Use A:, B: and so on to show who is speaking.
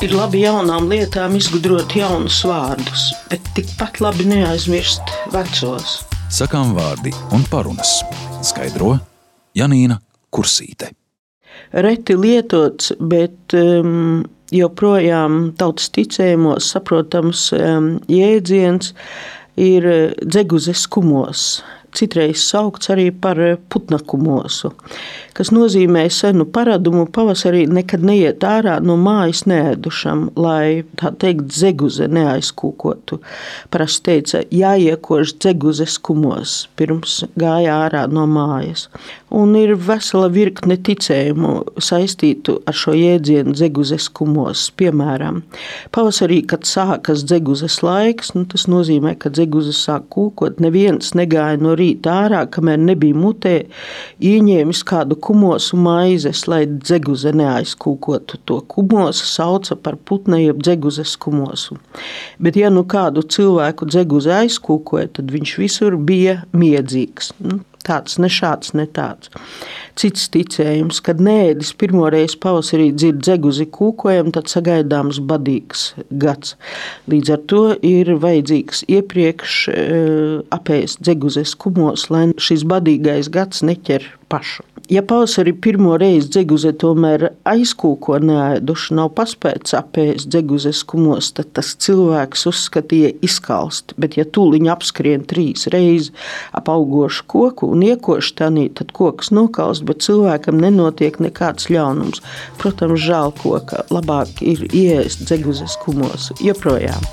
A: Ir labi jaunām lietām izgudrot jaunus vārdus, bet tikpat labi neaizmirst vecos.
B: Sakām vārdi un parunas. Skaidro Janīna Kursīte.
A: Reti lietots, bet joprojām tautas ticējumos saprotams jēdziens ir dzeguzes kumos. Citreiz saukts arī par putna kumosu, kas nozīmē senu paradumu pavasarī nekad neiet ārā no mājas neēdušam, lai, tā teikt, dzeguze neaizkūkotu. Parasti teica, jāiekož dzeguzes kumos, pirms gāja ārā no mājas. Un ir vesela virkne ticējumu saistītu ar šo jēdzienu dzeguzes kumos. Piemēram, pavasarī, kad sākas dzeguzes laiks, tas nozīmē, ka dzeguzes sāk kūkot, neviens negāja no rīta ārā, kamēr nebija mutē ieņēmis kādu kumosu maizes, lai dzeguze neaizkūkotu. To kumosu sauca par putna jeb dzeguzes kumosu. Bet ja nu kādu cilvēku dzeguze aizkūkoja, tad viņš visur bija miedzīgs. Tāds, ne šāds, ne tāds. Cits ticējums, kad neēdis pirmoreiz pavasarī dzird dzeguzi kūkojam, tad sagaidāms badīgs gads. Līdz ar to ir vajadzīgs iepriekš apēst dzeguzes kumos, lai šis badīgais gads neķer pašu. Ja pavasarī pirmo reizi dzeguze tomēr aizkūko neēduši, nav paspēts apēst dzeguzes kumos, tad tas cilvēks uzskatīja izkalst. Bet ja tūliņ apskrien 3 reizes ap augošu koku un iekoši tanī, tad koks nokalst, bet cilvēkam nenotiek nekāds ļaunums. Protams, žēl koka, labāk ir ieēst dzeguzes kumos joprojām.